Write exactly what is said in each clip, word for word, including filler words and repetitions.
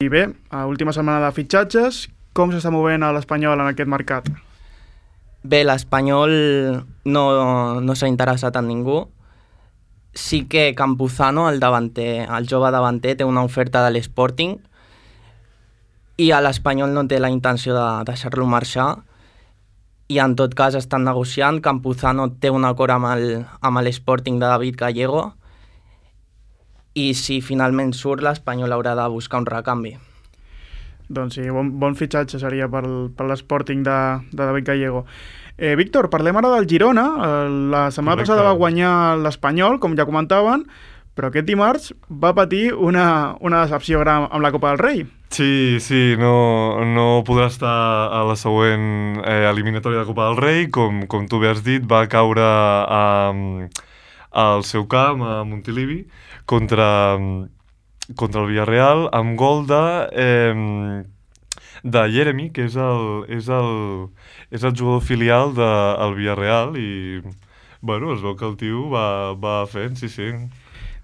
I bé, a última setmana de fitxatges, com s'està movent a l'Espanyol en aquest mercat? Bé, l'Espanyol no, no s'ha interessat en ningú. Sí que Campuzano, el davanter, el jove davanter, té una oferta de l'Sporting i a l'Espanyol no té la intenció de deixar-lo marxar i en tot cas estan negociant. Campuzano té un acord amb el, amb l'Sporting de David Gallego i si finalment surt l'Espanyol haurà de buscar un recanvi. Doncs sí, bon, bon fitxatge seria per, per l'Sporting de, de David Gallego. Eh, Víctor, parlem ara del Girona. La setmana Correcte. passada va guanyar l'Espanyol, com ja comentaven, però aquest dimarts va patir una, una decepció gran amb la Copa del Rei. Sí, sí, no, no podrà estar a la següent eh, eliminatòria de Copa del Rei, com, com tu bé has dit, va caure a, al seu camp, a Montilivi, contra, contra el Villarreal, amb gol de, eh, de Jeremy, que és el, és el, és el jugador filial del Villarreal, i bueno, es veu que el tio va, va fent, sí, sí.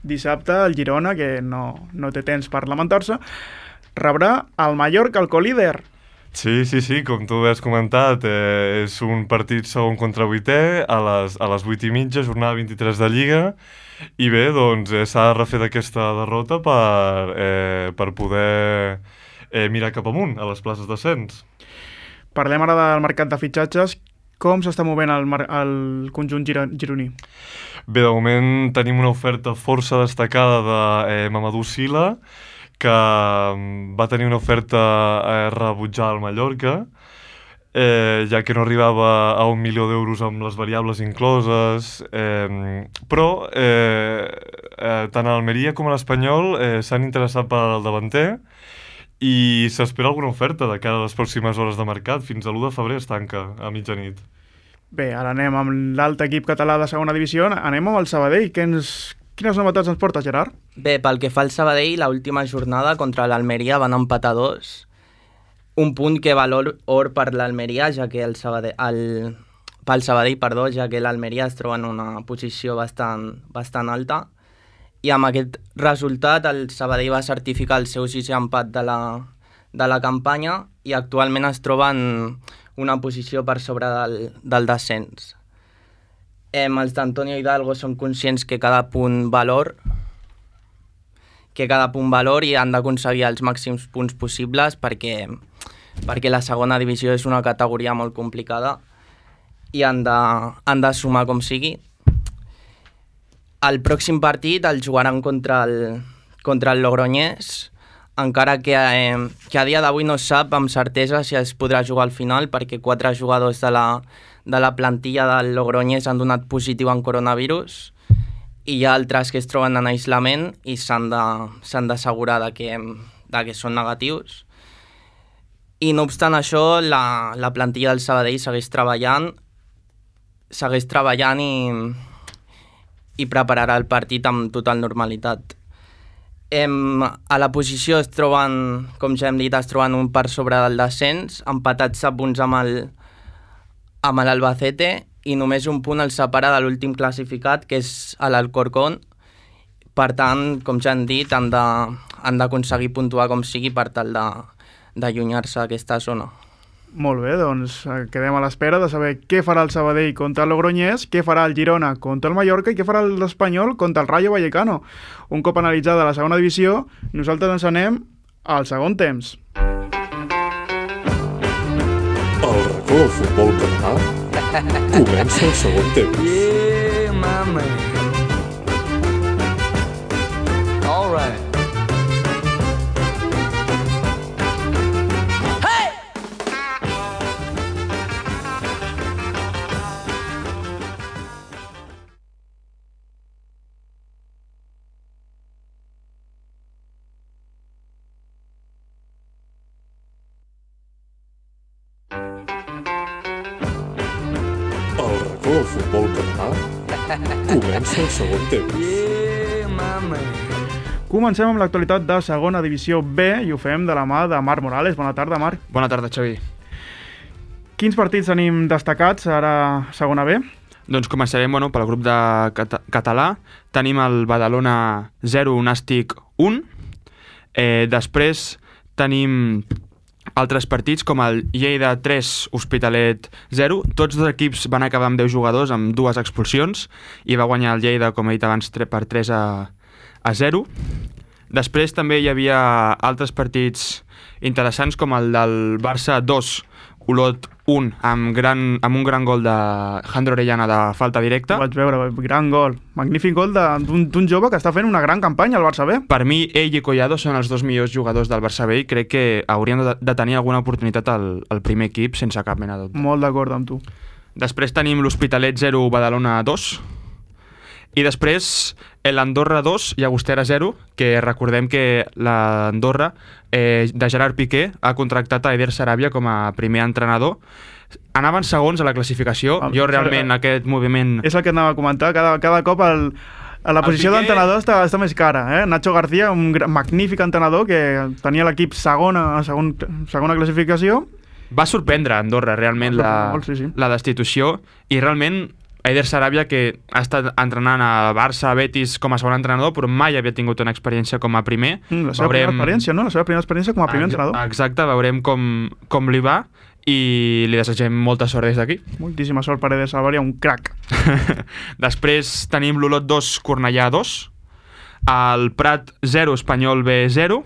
Dissabte el Girona, que no, no té temps per lamentar-se, rebrà el Mallorca, el colíder. Sí, sí, sí, com tu has comentat, eh, és un partit segon contra vuitè a les, a les vuit i mitja, jornada vint-i-tres de Lliga, i bé, doncs eh, s'ha de refer d'aquesta derrota per, eh, per poder eh, mirar cap amunt a les places d'ascens. Parlem ara del mercat de fitxatges. Com s'està movent el, el conjunt giro, gironí? Bé, de moment tenim una oferta força destacada de eh, Mamadou Sylla, que va tenir una oferta eh, rebutjada al Mallorca, eh, ja que no arribava a un milió d'euros amb les variables incloses, eh, però eh, eh, tant a l'Almeria com a l'Espanyol eh, s'han interessat pel davanter i s'espera alguna oferta de cara a les pròximes hores de mercat. Fins a l'u de febrer es tanca a mitjanit. Bé, ara anem amb l'altre equip català de segona divisió, anem amb el Sabadell. Que ens... Quines novetats ens porta, Gerard? Bé, pel que fa al Sabadell, l'última jornada contra l'Almeria van empatar dos. Un punt que valor or per l'Almeria, ja que el Sabadell, el, pel Sabadell, perdó, ja que l'Almeria es troba en una posició bastant, bastant alta. I amb aquest resultat el Sabadell va certificar el seu sisè empat de la, de la campanya i actualment es troba en una posició per sobre del, del descens. Eh, els d'Antonio Hidalgo són conscients que cada punt valor que cada punt valor i han d'aconseguir els màxims punts possibles perquè, perquè la segona divisió és una categoria molt complicada i han de, han de sumar com sigui. El pròxim partit el jugaran contra el, contra el Logroñés, encara que, eh, que a dia d'avui no es sap amb certesa si es podrà jugar al final perquè quatre jugadors de la, de la plantilla del Logroñés han donat positiu en coronavirus i hi ha altres que es troben en aislament i s'han de, s'han d'assegurar de que, de que són negatius. I no obstant això, la, la plantilla del Sabadell segueix treballant, segueix treballant i, i prepararà el partit amb total normalitat. Em, a la posició es troben, com ja hem dit, es troben un per sobre del descens, empatats a punts amb el amb l'Albacete i només un punt el separa de l'últim classificat, que és l'Alcorcón. Per tant, com ja hem dit, han de, han d'aconseguir puntuar com sigui per tal de, d'allunyar-se d'aquesta zona. Molt bé, doncs quedem a l'espera de saber què farà el Sabadell contra el Logroñés, què farà el Girona contra el Mallorca i què farà l'Espanyol contra el Rayo Vallecano. Un cop analitzada la segona divisió, nosaltres ens anem al segon temps. El racó del futbol català comença el segon temps. Yeah, my man. All right. El racó del futbol català comença el segon temps. Yeah, my man. Comencem amb l'actualitat de segona divisió B i ho fem de la mà de Marc Morales. Bona tarda, Marc. Bona tarda, Xavi. Quins partits tenim destacats ara a segona B? Doncs començarem bueno, pel grup de cata català. Tenim el Badalona zero, Nàstic un. Eh, després tenim altres partits com el Lleida tres, Hospitalet zero. Tots dos equips van acabar amb deu jugadors, amb dues expulsions, i va guanyar el Lleida, com he dit abans, per tres a zero. Després també hi havia altres partits interessants com el del Barça dos, Olot un, amb, gran, amb un gran gol de Jandro Orellana de falta directa. Ho vaig veure, gran gol. Magnífic gol d'un jove que està fent una gran campanya al Barça B. Per mi, ell i Collado són els dos millors jugadors del Barça B i crec que haurien de, de tenir alguna oportunitat al, al primer equip sense cap mena de dubte. Molt d'acord amb tu. Després tenim l'Hospitalet zero, Badalona dos. I després l'Andorra dos, Llagostera zero, que recordem que l'Andorra eh, de Gerard Piqué ha contractat a Eder Sarabia com a primer entrenador. Anaven segons a la classificació. Ah, jo realment ah, aquest moviment... És el que anava a comentar, cada, cada cop el, a la El posició Piqué- d'entrenador està, està més cara. Eh? Nacho García, un gran, magnífic entrenador que tenia l'equip segona, segon, segona classificació. Va sorprendre a Andorra realment Va la, sorprendre molt, sí, sí. la destitució, i realment Eder Sarabia, que ha estat entrenant a Barça, a Betis com a segon entrenador, però mai havia tingut una experiència com a primer. Mm, la seva primera experiència, no? La seva primera experiència com a primer Ex- entrenador. Exacte, veurem com, com li va i li desitgem molta sort des d'aquí. Moltíssima sort per Eder Sarabia, un crac. Després tenim l'Olot dos, Cornellà dos, el Prat zero, Espanyol B zero,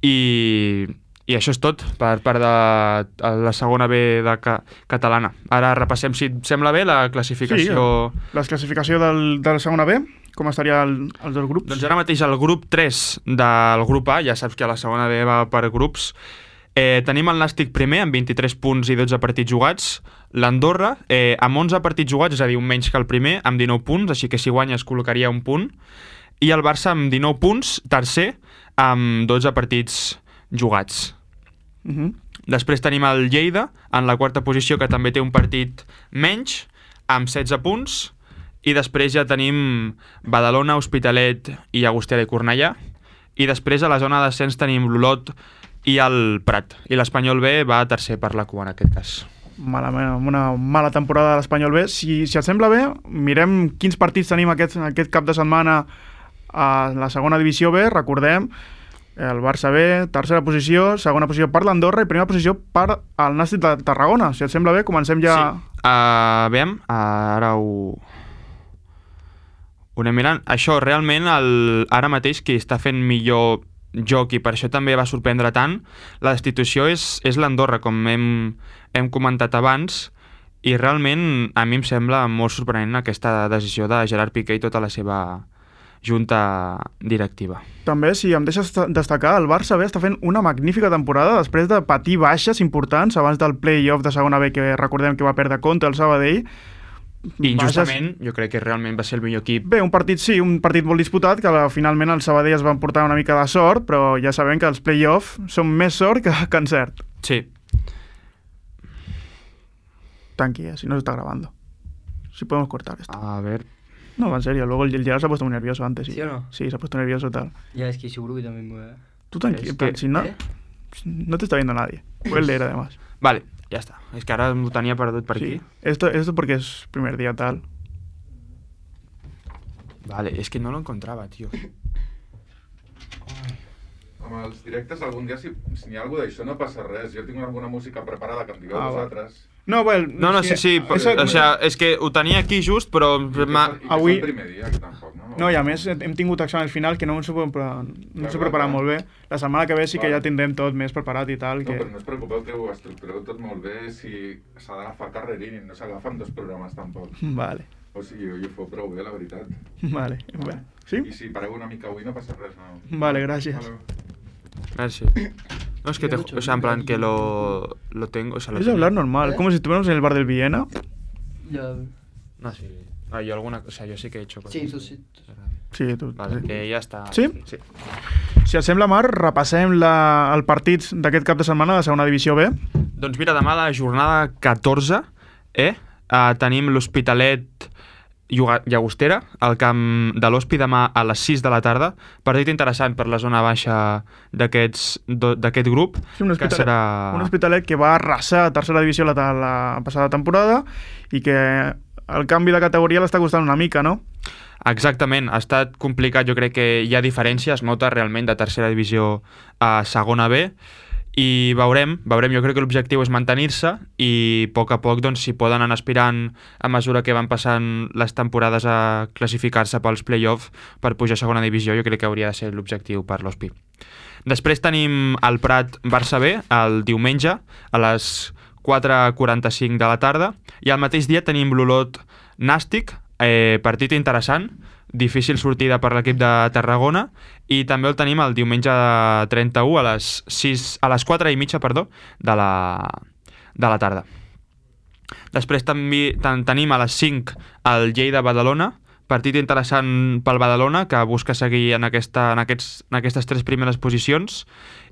i... I això és tot per part de la segona B de ca catalana. Ara repassem, si et sembla bé, la classificació... Sí, la classificació del, de la segona B, com estaria el, els dos grups? Doncs ara mateix el grup tres del grup A, ja saps que la segona B va per grups, eh, tenim el Nàstic primer amb vint-i-tres punts i dotze partits jugats, l'Andorra eh, amb onze partits jugats, és a dir, un menys que el primer, amb dinou punts, així que si guanya es col·locaria un punt, i el Barça amb dinou punts, tercer, amb dotze partits jugats. Uh -huh. Després tenim el Lleida en la quarta posició, que també té un partit menys, amb setze punts, i després ja tenim Badalona, Hospitalet i Llagostera i Cornellà, i després a la zona de descens tenim l'Olot i el Prat, i l'Espanyol B va a tercer per la cua en aquest cas. Malament, una mala temporada de l'Espanyol B. Si, si et sembla bé, mirem quins partits tenim aquest, aquest cap de setmana a la segona divisió B. Recordem el Barça B, tercera posició, segona posició per l'Andorra i primera posició per el Nàstic de Tarragona. Si et sembla bé, comencem ja... Sí, uh, veiem, uh, ara ho... ho anem mirant. Això, realment, el, ara mateix qui està fent millor joc, i per això també va sorprendre tant, la destitució és, és l'Andorra, com hem, hem comentat abans, i realment a mi em sembla molt sorprenent aquesta decisió de Gerard Piqué i tota la seva junta directiva. També, si em deixes destacar, el Barça B està fent una magnífica temporada després de patir baixes importants abans del play-off de segona B, que recordem que va perdre contra el Sabadell. I injustament, baixes... jo crec que realment va ser el millor equip. Bé, un partit sí, un partit molt disputat, que finalment el Sabadell es va portar una mica de sort, però ja sabem que els play-off són més sort que, que encert. Sí. Tranquila, si no se está grabando. Si podemos cortar esto. A ver... No, en serio, luego el Gerard se ha puesto muy nervioso antes. ¿Sí, ¿Sí o no? Sí, se ha puesto nervioso y tal. Ya, es que seguro que también me voy a... Tú tranquilo, Es que- si no, ¿Eh? no te está viendo nadie. Puedes leer además. Vale, ja està. És que ara ho tenia perdut per aquí. Sí, esto, esto porque es primer día tal. Vale, és que no lo encontrava, tio. Amb els directes algun dia, si, si n'hi ha alguna d'això, no passa res. Jo tinc alguna música preparada que em digueu Ah, va. vosaltres. No, bueno... No, no, sí, sí, Eso, o sea, és que ho tenia aquí just, però... I que, m'ha- és- i que Avui- és el primer dia, que tampoc, no? no, i a més hem tingut examen final que no ens ho hem preparat, no ens ho Clar, he preparat clar. molt bé. La setmana que ve sí que Vale. ja tindrem tot més preparat i tal. No, Que... però no us preocupeu que ho estructureu tot molt bé si s'ha d'agafar carrerín i no s'agafen dos programes tampoc. Vale, O sigui, i ho feu prou bé, la veritat. vale. Bueno, ¿sí? I si pareu una mica avui no passa res, no? Vale, gràcies. Vale. Gràcies. No, es que te... O sea, en plan, que lo... Lo tengo... O sea, lo Es tengo. hablar normal, ¿Eh? como si estuviéramos en el bar del Viena. Ya... No, sí. Ah, yo alguna... O sea, yo sí que he hecho cosas. Sí, tú sí. Sí, tu. Vale, sí. que ja està. Sí? Sí. Si et sembla, Marc, repassem la, el partit d'aquest cap de setmana de segona divisió B. Doncs mira, demà la jornada catorze, eh? Uh, tenim l'Hospitalet Lluga- Llagostera, al camp de l'Hospi, demà a les sis de la tarda. Partit interessant per la zona baixa d'aquests do- d'aquest grup, Sí, un que hospitalet, serà... un hospitalet que va arrasar a tercera divisió la, la passada temporada i que el canvi de categoria l'està costant una mica, no? Exactament, ha estat complicat, jo crec que hi ha diferència, es nota realment de tercera divisió a segona B, i veurem, veurem, jo crec que l'objectiu és mantenir-se i a poc a poc doncs, si poden anar aspirant a mesura que van passant les temporades a classificar-se pels play-off per pujar a segona divisió, jo crec que hauria de ser l'objectiu per l'O S P I. Després tenim el Prat Barça B el diumenge a les quatre quaranta-cinc de la tarda i al mateix dia tenim l'Olot Nàstic, eh, partit interessant, difícil sortida per l'equip de Tarragona, i també el tenim el diumenge trenta-u a les sis, a les quatre i mitja, perdó, de la, de la tarda. Després també ten, tenim a les cinc el Lleida-Badalona, partit interessant pel Badalona, que busca seguir en, aquesta, en, aquests, en aquestes tres primeres posicions,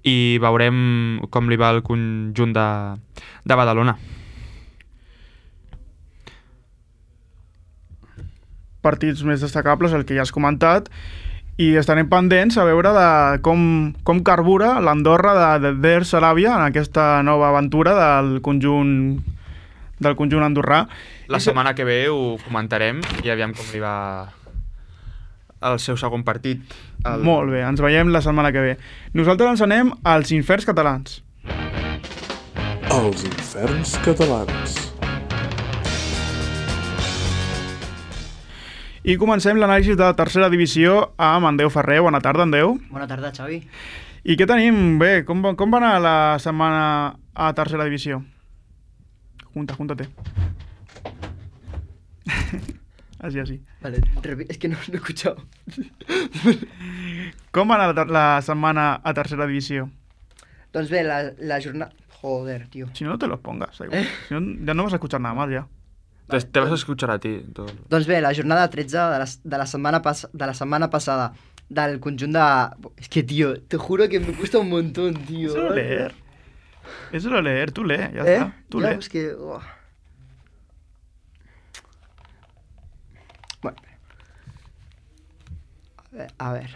i veurem com li va el conjunt de, de Badalona. Partits més destacables, el que ja has comentat, i estarem pendents a veure de com, com carbura l'Andorra de, de Der Saràbia en aquesta nova aventura del conjunt del conjunt andorrà. La setmana que ve ho comentarem i aviam com li va el seu segon partit. El... Molt bé, ens veiem la setmana que ve. Nosaltres ens anem als inferns catalans. Els inferns catalans. I comencem l'anàlisi de tercera divisió amb en Déu Ferrer. Bona tarda, en Déu. Bona tarda, Xavi. I què tenim? Bé, com, va- com va anar la setmana a tercera divisió? Junta, júntate. Así, así. Vale, repi- es que no, no he escuchado. Com va anar la, ter- la setmana a tercera divisió? Doncs bé, la, la jornada... Joder, tío. Si no, no te los pongas. Da igual. Si no, ya no vas a escuchar nada más ya. Te, te vas a escuchar a ti. Todo. Doncs bé, la jornada tretze de la, de la, setmana, pas, de la setmana passada del conjunt de... Es que, tío, te juro que me cuesta un montón, tío. Eso lo leer. Eso lo leer. Tú lee, ya ¿Eh? está. Tú ya, lee. es que... oh. Bueno. A ver, a ver.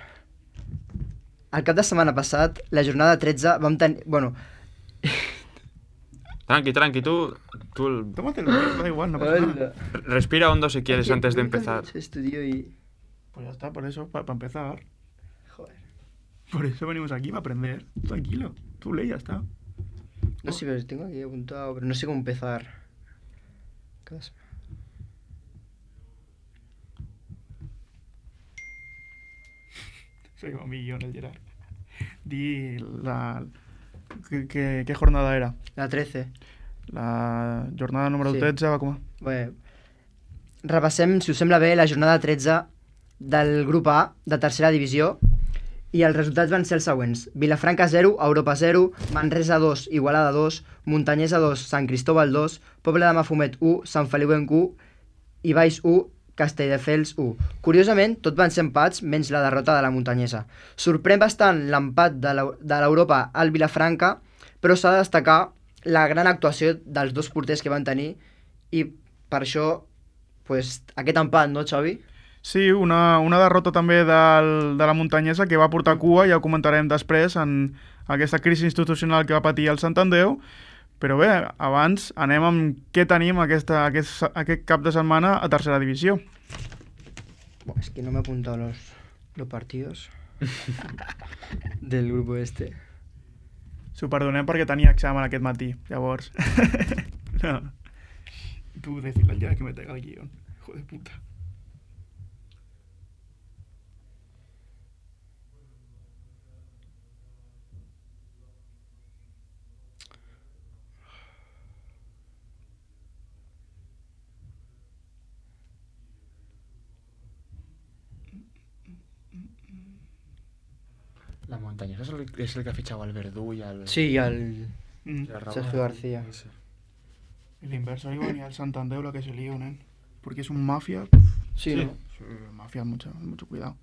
El cap de setmana passat, la jornada tretze, vam tenir... Bueno... Tranqui, tranqui, tú, tú el- Tómatelo, da igual, no pasa nada. respira hondo si quieres Es que antes de nunca he empezar. hecho esto, tío, y... Pues ya está, por eso, para empezar. Joder. Por eso venimos aquí, para aprender. Tranquilo. Tú lee, ya está. No sé, pero tengo aquí apuntado, pero no sé cómo empezar. Cada semana. Soy un millón el Gerard. Di la... ¿Qué, qué, qué jornada era? La trece. La jornada número Sí. tretze va com a... Bé, repassem, si us sembla bé, la jornada tretze del grup A de tercera divisió i els resultats van ser els següents. Vilafranca zero, Europa zero, Manresa dos, Igualada dos, Muntanyesa dos, Sant Cristóbal dos, Poble de Mafumet u, Sant Feliuenc u, Ibaix u, Castelldefels u. Curiosament, tot van ser empats, menys la derrota de la Muntanyesa. Sorprèn bastant l'empat de l'Eu- de l'Europa al Vilafranca, però s'ha de destacar la gran actuació dels dos porters que van tenir i per això pues, aquest empat, no, Xavi? Sí, una, una derrota també del, de la Muntanyesa que va portar cua, ja ho comentarem després, en aquesta crisi institucional que va patir el Sant Andreu. Però bé, abans anem amb què tenim aquesta, aquest, aquest cap de setmana a tercera divisió. Buah, es que no me he apuntado los, los partidos del grupo este. S'ho perdonem perquè tenia examen aquest matí, llavors... no. Tu, decirle al Gerard que me traiga el guión. Hijo de puta. La Muntanyesa és el, és el que ha fitxat el Verdú i el... Sí, y al Mm. i el Raúl. Sergio García. Sí. El inverso igual ni al Santander la que se lío, nen. Porque es un mafia. Sí, ¿no? Sí, mafia, mucho, mucho cuidado.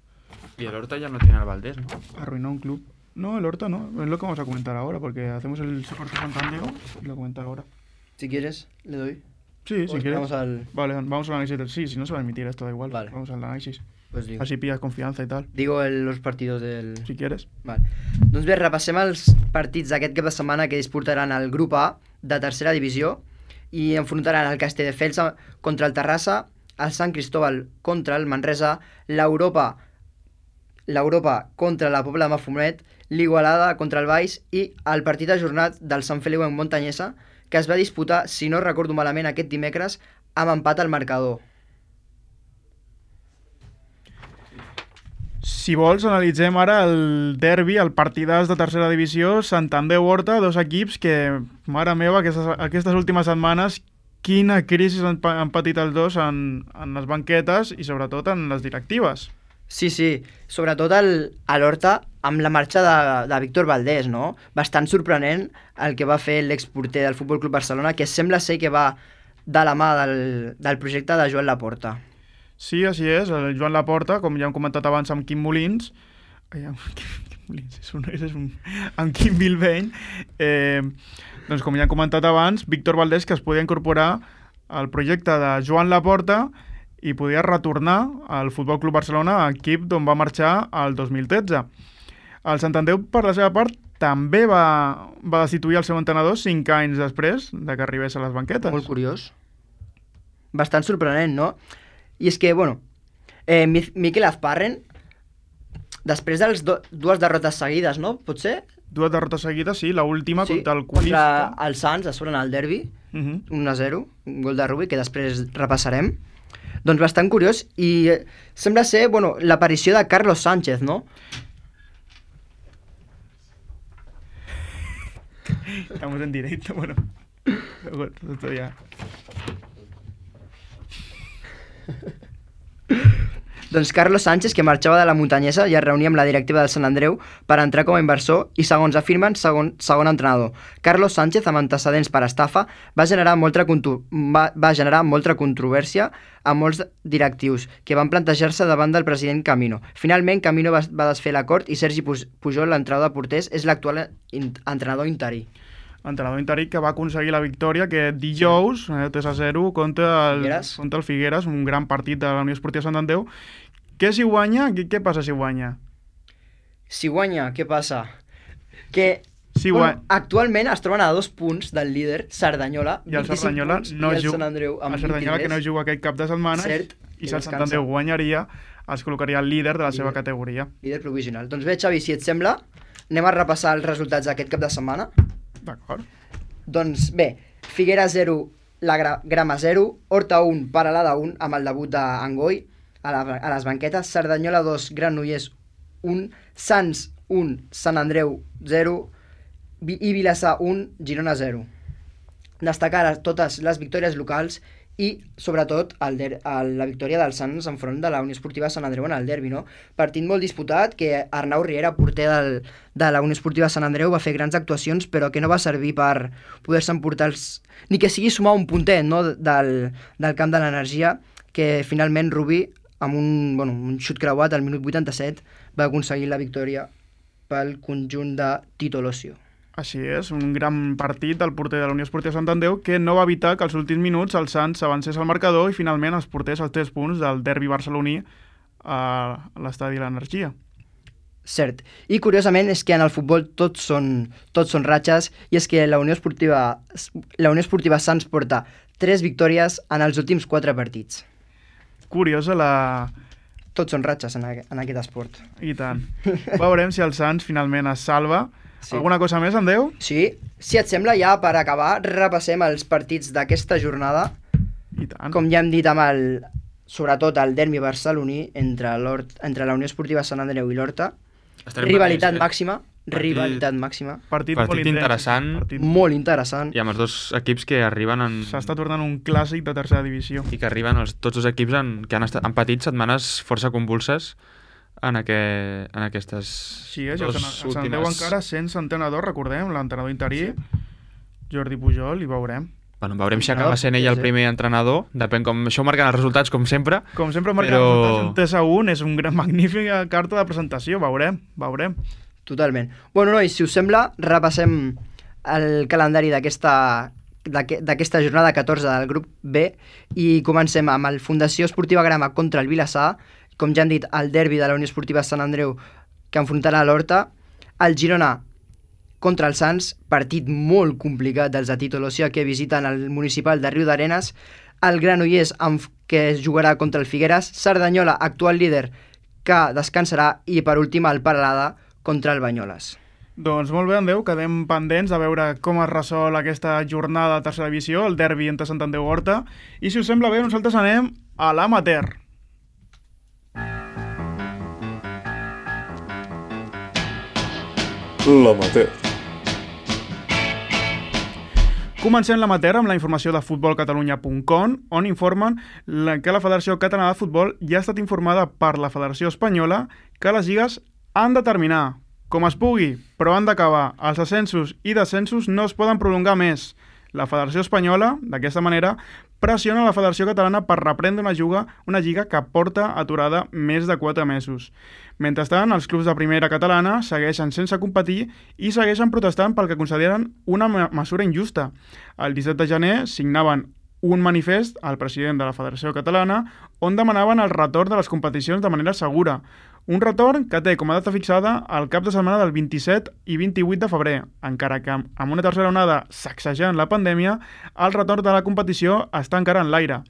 Y el Horta ya no tiene al Valdés, ¿no? Arruinó un club. No, el Horta no. Es lo que vamos a comentar ahora, porque hacemos el soporte Santander y lo comento ahora. Si quieres, le doy. Sí, si Pues quieres. Vamos al... Vale, vamos al análisis del... Sí, si no se va a emitir esto, da igual. Vale. Vamos al análisis. Pues digo. Así pillas confianza y tal. Digo el, los partidos del... Si quieres. Vale. Doncs bé, repassem els partits d'aquest cap de setmana que disputaran el grup A de tercera divisió i enfrontaran el Castelldefels a- contra el Terrassa, el Sant Cristóbal contra el Manresa, l'Europa l'Europa contra la Pobla de Mafumet, l'Igualada contra el Baix i el partit ajornat del Sant Feliu en Montanyesa, que es va disputar, si no recordo malament, aquest dimecres, amb empat al marcador. Si vols, analitzem ara el derbi, el partidàs de tercera divisió, Santander-Horta, dos equips que, mare meva, aquestes, aquestes últimes setmanes, quina crisi han, han patit els dos en, en les banquetes i sobretot en les directives. Sí, sí, sobretot el, a l'Horta amb la marxa de, de Víctor Valdés, no? Bastant sorprenent el que va fer l'exporter del Futbol Club Barcelona, que sembla ser que va de la mà del, del projecte de Joan Laporta. Sí, així és, el Joan Laporta, com ja hem comentat abans amb Quim Molins, ai, amb Quim, Quim Molins, és un, és un, amb Quim Bilbeny, eh, doncs com ja hem comentat abans, Víctor Valdés, que es podia incorporar al projecte de Joan Laporta i podia retornar al Futbol Club Barcelona, equip d'on va marxar el dos mil tretze. El Santander, per la seva part, també va, va destituir el seu entrenador cinc anys després de que arribés a les banquetes. Molt curiós. Bastant sorprenent, no? I és que, bueno, eh, Miquel Azparren, després de do, dues derrotes seguides, no? Pot ser? Dues derrotes seguides, sí. L'última sí, contra el Colista. Contra el Sants, a sobre en el derbi, uh -huh. un a zero, un gol de Rubi, que després repassarem. Doncs bastant curiós, i eh, sembla ser, bueno, l'aparició de Carlos Sánchez, no? Estamos en directo, bueno. Bueno, esto ya... Doncs Carlos Sánchez, que marxava de la Muntanyesa, ja es reunia amb la directiva del Sant Andreu per entrar com a inversor i, segons afirmen, segon, segon entrenador. Carlos Sánchez, amb antecedents per estafa, va generar, molta, va, va generar molta controvèrsia a molts directius que van plantejar-se davant del president Camino. Finalment, Camino va, va desfer l'acord i Sergi Pujol, l'entrenador de porters, és l'actual entrenador interí. Entrenador interí que va aconseguir la victòria que dijous, eh, tres a zero, contra el Figueres. contra el Figueres, un gran partit de la Unió Esportiva Sant Andreu. Què si guanya? Què, què passa si guanya? Si guanya, què passa? Que si bueno, guanya... actualment es troben a dos punts del líder, Cerdanyola, i el Cerdanyola punts, no i el juga, Sant Andreu amb el Cerdanyola que no juga aquest cap de setmana, Cert, i si el Sant Andreu guanyaria, es col·locaria el líder de la líder. seva categoria. Líder provisional. Doncs bé, Xavi, si et sembla, anem a repassar els resultats d'aquest cap de setmana. D'acord. Doncs bé, Figueres zero, la gra Grama zero, Horta un, Paralada un, amb el debut d'Angoi a, la, a les banquetes, Cerdanyola dos, Granollers un, Sants un, Sant Andreu zero i Vilassar un, Girona zero. Destacar totes les victòries locals i, sobretot, el der el, la victòria dels Sants enfront de la Unió Esportiva Sant Andreu en el derbi, no? Partit molt disputat, que Arnau Riera, porter del, de la Unió Esportiva Sant Andreu, va fer grans actuacions, però que no va servir per poder-se emportar els... ni que sigui sumar un puntet, no?, del, del camp de l'energia, que finalment Rubí, amb un, bueno, un xut creuat al minut vuitanta-set, va aconseguir la victòria pel conjunt de Tito Locio. Així és, un gran partit del porter de la Unió Esportiva Sant Andreu que no va evitar que als últims minuts el Sants avancés al marcador i finalment es portés els tres punts del derbi barceloní a l'estadi de l'Energia. Cert. I curiosament és que en el futbol tots són, tots són ratxes i és que la Unió Esportiva, la Unió Esportiva Sants porta tres victòries en els últims quatre partits. Curiosa la... Tots són ratxes en, en aquest esport. I tant. Veurem si el Sants finalment es salva. Sí. Alguna cosa més, Andeu? Sí. Si et sembla, ja per acabar, repassem els partits d'aquesta jornada. I tant. Com ja hem dit amb el... sobretot el derbi barceloní entre, entre la Unió Esportiva Sant Andreu i l'Horta. Rivalitat patents, màxima. Partit, rivalitat màxima. Partit, partit molt interessant. Partit molt interessant. I amb els dos equips que arriben en... S'està tornant un clàssic de tercera divisió. I que arriben els, tots els equips en, que han, estat, han patit setmanes força convulses en, aqu en aquestes sí, és, dos últimes... últimes... Sant Andreu encara sense entrenador, recordem, l'entrenador interí, sí. Jordi Pujol, i veurem. Bueno, veurem si acaba sent ell el primer entrenador, depèn com... Això ho marquen els resultats, com sempre. Com sempre marquen però... els resultats, un tres a un, és un gran magnífica carta de presentació, veurem, veurem. Totalment. Bueno, nois, si us sembla, repassem el calendari d'aquesta d'aquesta jornada catorze del grup B i comencem amb el Fundació Esportiva Grama contra el Vilassar, com ja han dit, el derbi de la Unió Esportiva Sant Andreu que enfrontarà l'Horta, el Girona contra el Sants, partit molt complicat dels de Tito Locio que visiten el municipal de Riudarenes, el Granollers, amb, que es jugarà contra el Figueres, Cerdanyola, actual líder, que descansarà, i per últim el Peralada contra el Banyoles. Doncs molt bé, Andreu, quedem pendents de veure com es resol aquesta jornada de tercera divisió, el derbi entre Sant Andreu Horta, i si us sembla bé, nosaltres anem a l'amateur. L'amateur. Comencem l'amateur amb la informació de futbol catalunya punt com, on informen que la Federació Catalana de Futbol ja ha estat informada per la Federació Espanyola que les lligues han de terminar, com es pugui, però han d'acabar. Els ascensos i descensos no es poden prolongar més. La Federació Espanyola, d'aquesta manera, pressiona la Federació Catalana per reprendre una lliga, una lliga que porta aturada més de quatre mesos. Mentrestant, els clubs de primera catalana segueixen sense competir i segueixen protestant pel que consideren una mesura injusta. El disset de gener signaven un manifest al president de la Federació Catalana on demanaven el retorn de les competicions de manera segura. Un retorn que té com a data fixada el cap de setmana del vint-i-set i vint-i-vuit de febrer, encara que amb una tercera onada sacsejant la pandèmia, el retorn de la competició està encara en l'aire.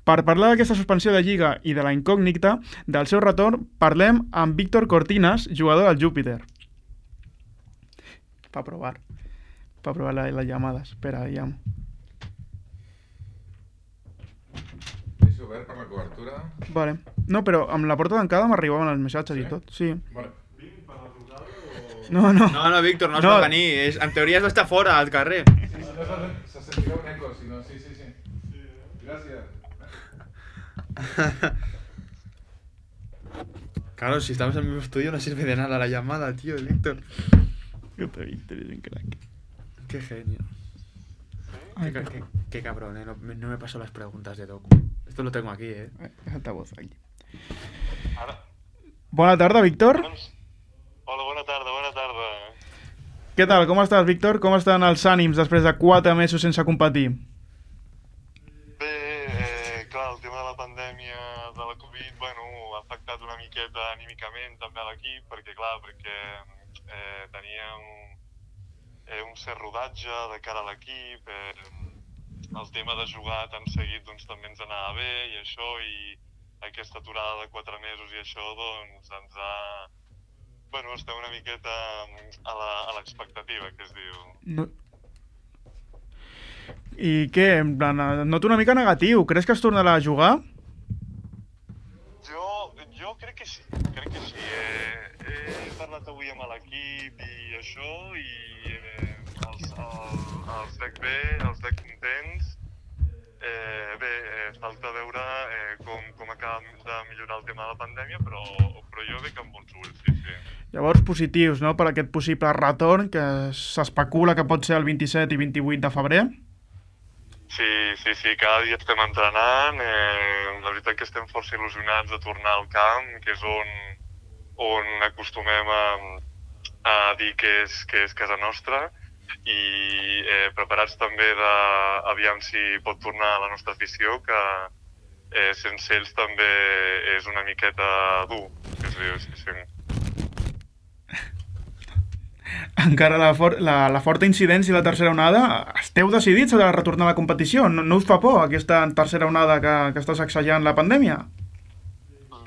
Per parlar d'aquesta suspensió de Lliga i de la incògnita del seu retorn, parlem amb Víctor Cortinas, jugador del Júpiter. Per provar. Per provar la, les llamades. Espera, llamo. Deixo obert per la cobertura. Vale. No, però amb la porta tancada m'arribaven els missatges sí? i tot. Sí. Vale. No, no. No, no, Víctor, no es No. pot venir. És, en teoria has d'estar fora, al carrer. Se sentirà un eco, si no, sí, sí, sí. Gràcies. Claro, si estamos en el mismo estudio no sirve de nada la llamada, tío, Víctor. Víctor es un crack. Qué genio. Ay, Qué, qué- qué, qué cabrón, eh. No, me- no me paso las preguntas de Doku. Esto lo tengo aquí, eh. És altavoz aquí. Ara, Bona tarda, Víctor. doncs, hola, bona tarda, bona tarda. Què tal? Com estàs, Víctor? Com estan els ànims després de quatre mesos sense competir? Bé, eh, clar, el tema de la pandèmia de la Covid, bueno, ha afectat una miqueta anímicament també a l'equip, perquè clar, perquè eh, teníem eh, un cert rodatge de cara a l'equip, eh, el tema de jugar tan seguit doncs també ens anava bé i això, i aquesta aturada de quatre mesos i això doncs ens ha... Bueno, estem una miqueta a la- a l'expectativa, que es diu. No... I què? En plan, et noto una mica negatiu. Creus que es tornarà a jugar? Jo, jo crec que sí, crec que sí. Eh, he parlat avui amb l'equip i això, i eh, els, el, els veig bé, els veig contents. Eh, bé, eh, falta veure eh, com, com acaba de millorar el tema de la pandèmia, però, però jo veig amb bons ulls, sí, sí. Llavors, positius, no?, per aquest possible retorn que s'especula que pot ser el vint-i-set i vint-i-vuit de febrer. Sí, sí, sí, cada dia estem entrenant, eh, la veritat que estem força il·lusionats de tornar al camp, que és on, on acostumem a, a dir que és, que és casa nostra, i eh, preparats també de, aviam si pot tornar la nostra afició, que eh, sense ells també és una miqueta dur, que es diu, sí, sí. Encara la, for la, la forta incidència i la tercera onada, esteu decidits a retornar a la competició? No, no us fa por aquesta tercera onada que, que està sacsejant la pandèmia?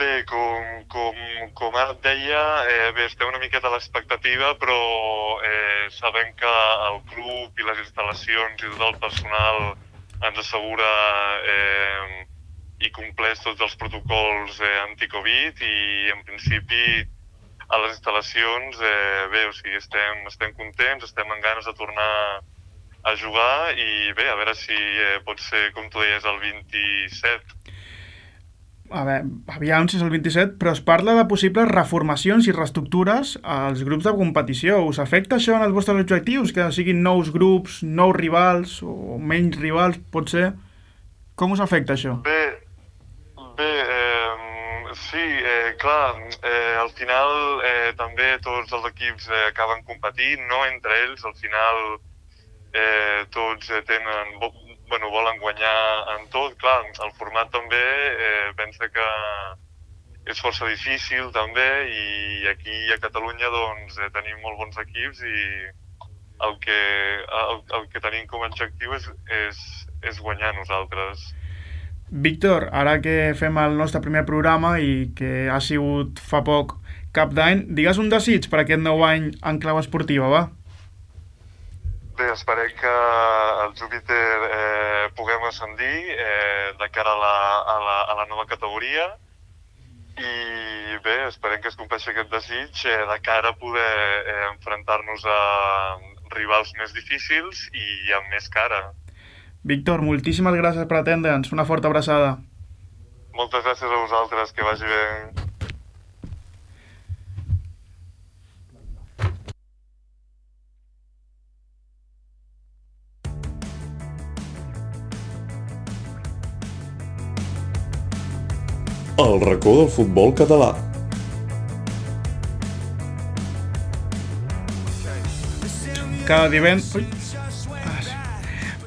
Bé, com, com, com ara et deia, eh, bé, estem una miqueta a l'expectativa, però eh, sabem que el club i les instal·lacions i tot el personal ens assegura eh, i compleix tots els protocols eh, anti-Covid, i en principi a les instal·lacions, eh, bé, o sigui, estem, estem contents, estem amb ganes de tornar a jugar, i bé, a veure si eh, pot ser, com tu deies, el vint-i-set. A veure, aviam si és el vint-i-set, però es parla de possibles reformacions i reestructures als grups de competició. Us afecta això en els vostres objectius? Que siguin nous grups, nous rivals o menys rivals, pot ser? Com us afecta això? Bé, bé, eh, sí, eh, clar, eh, al final eh, també tots els equips eh, acaben competint, no entre ells, al final eh, tots eh, tenen, vo bueno, volen guanyar en tot, clar, el format també eh, pensa que és força difícil també, i aquí a Catalunya doncs eh, tenim molt bons equips, i el que, el, el que tenim com a objectiu és, és, és guanyar nosaltres. Víctor, ara que fem el nostre primer programa i que ha sigut fa poc cap d'any, digues un desig per aquest nou any en clau esportiva, va. Bé, esperem que el Júpiter eh, puguem ascendir eh, de cara a la, a, la, a la nova categoria i bé, esperem que es compleixi aquest desig eh, de cara a poder eh, enfrontar-nos a rivals més difícils i amb més cara. Víctor, moltíssimes gràcies per atendre'ns. Una forta abraçada. Moltes gràcies a vosaltres, que vagi bé. El racó del futbol català. Cada divendres...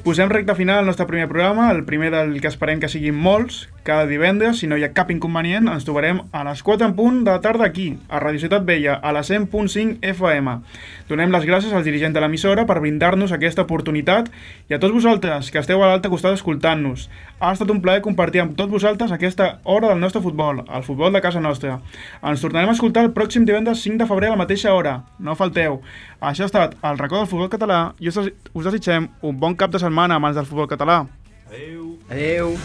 Posem recte final al nostre primer programa, el primer del que esperem que siguin molts. Cada divendres, si no hi ha cap inconvenient, ens trobarem a les quatre en punt de la tarda aquí, a Radio Ciutat Vella, a la cent punt cinc F M. Donem les gràcies al dirigent de l'emissora per brindar-nos aquesta oportunitat i a tots vosaltres que esteu a l'altre costat escoltant-nos. Ha estat un plaer compartir amb tots vosaltres aquesta hora del nostre futbol, el futbol de casa nostra. Ens tornarem a escoltar el pròxim divendres cinc de febrer a la mateixa hora. No falteu. Això ha estat el racó del futbol català i us desitgem un bon cap de setmana a mans del futbol català. Adeu. Adeu.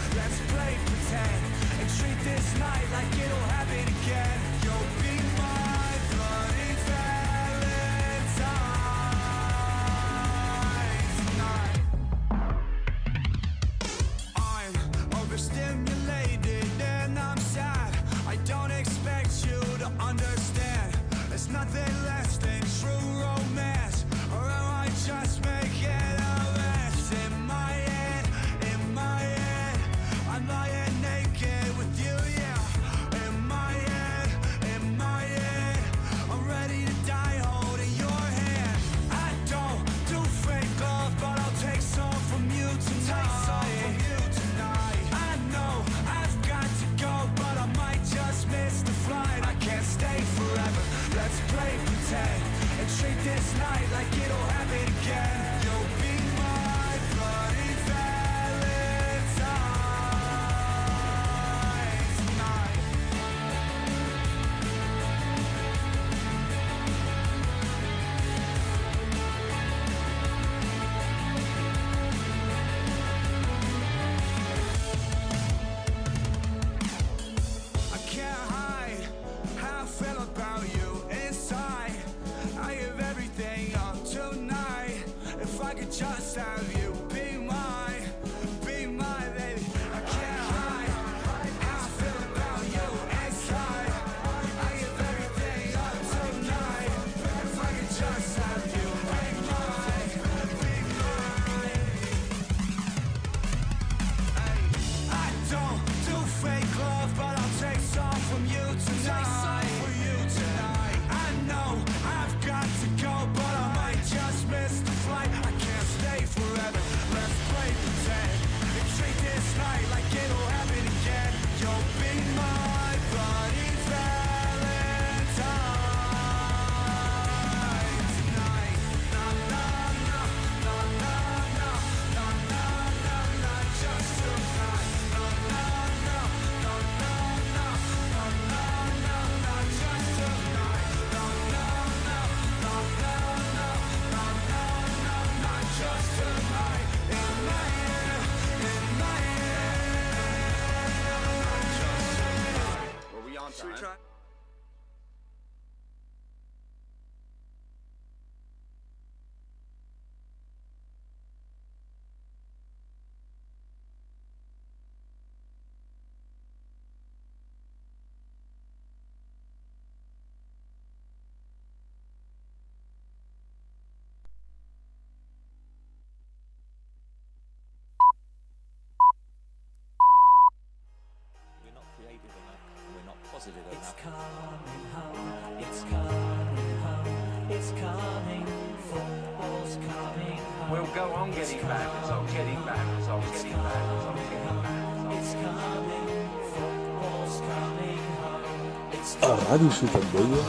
It's coming home, it's coming home, it's coming, football's coming home. We'll go on getting back, on getting back, on getting back, on getting back. It's coming, football's coming home. It's A Ràdio Ciutat Vella,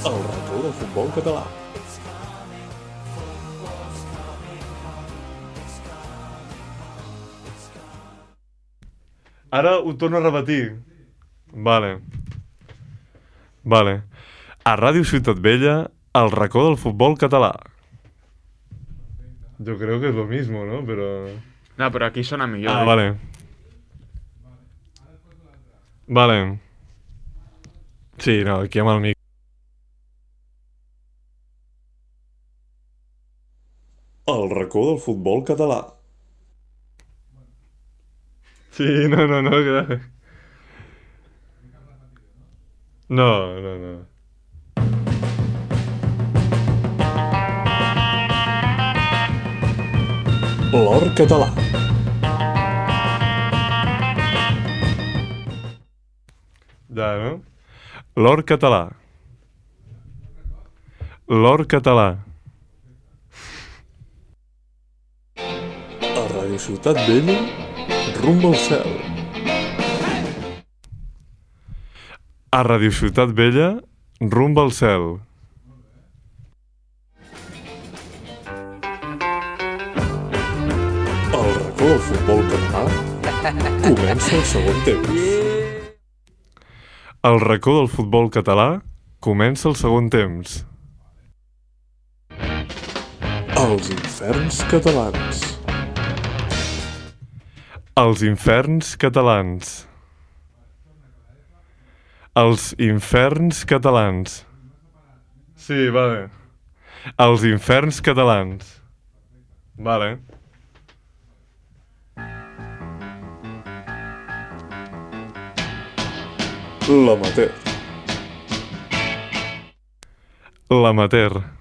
el racó del futbol català. Ara ho torno a repetir. Vale. Vale. A Ràdio Ciutat Vella, el racó del futbol català. Yo creo que es lo mismo, ¿no? Pero... No, però aquí sona millor. Ah, eh? vale. Vale. Sí, no, aquí amb el mic. El racó del futbol català. Sí, no, no, no, clar. No, no, no. L'or català. Ja, no? L'or català. L'or català. A Ràdio Ciutat Vella, rumb al cel. A Ràdio Ciutat Vella, rumb al cel. El racó del futbol català comença el segon temps. El racó del futbol català comença el segon temps. Els inferns catalans. Els inferns catalans. Els inferns catalans. Sí, vale. Els inferns catalans. Vale. L'amateur. L'amateur.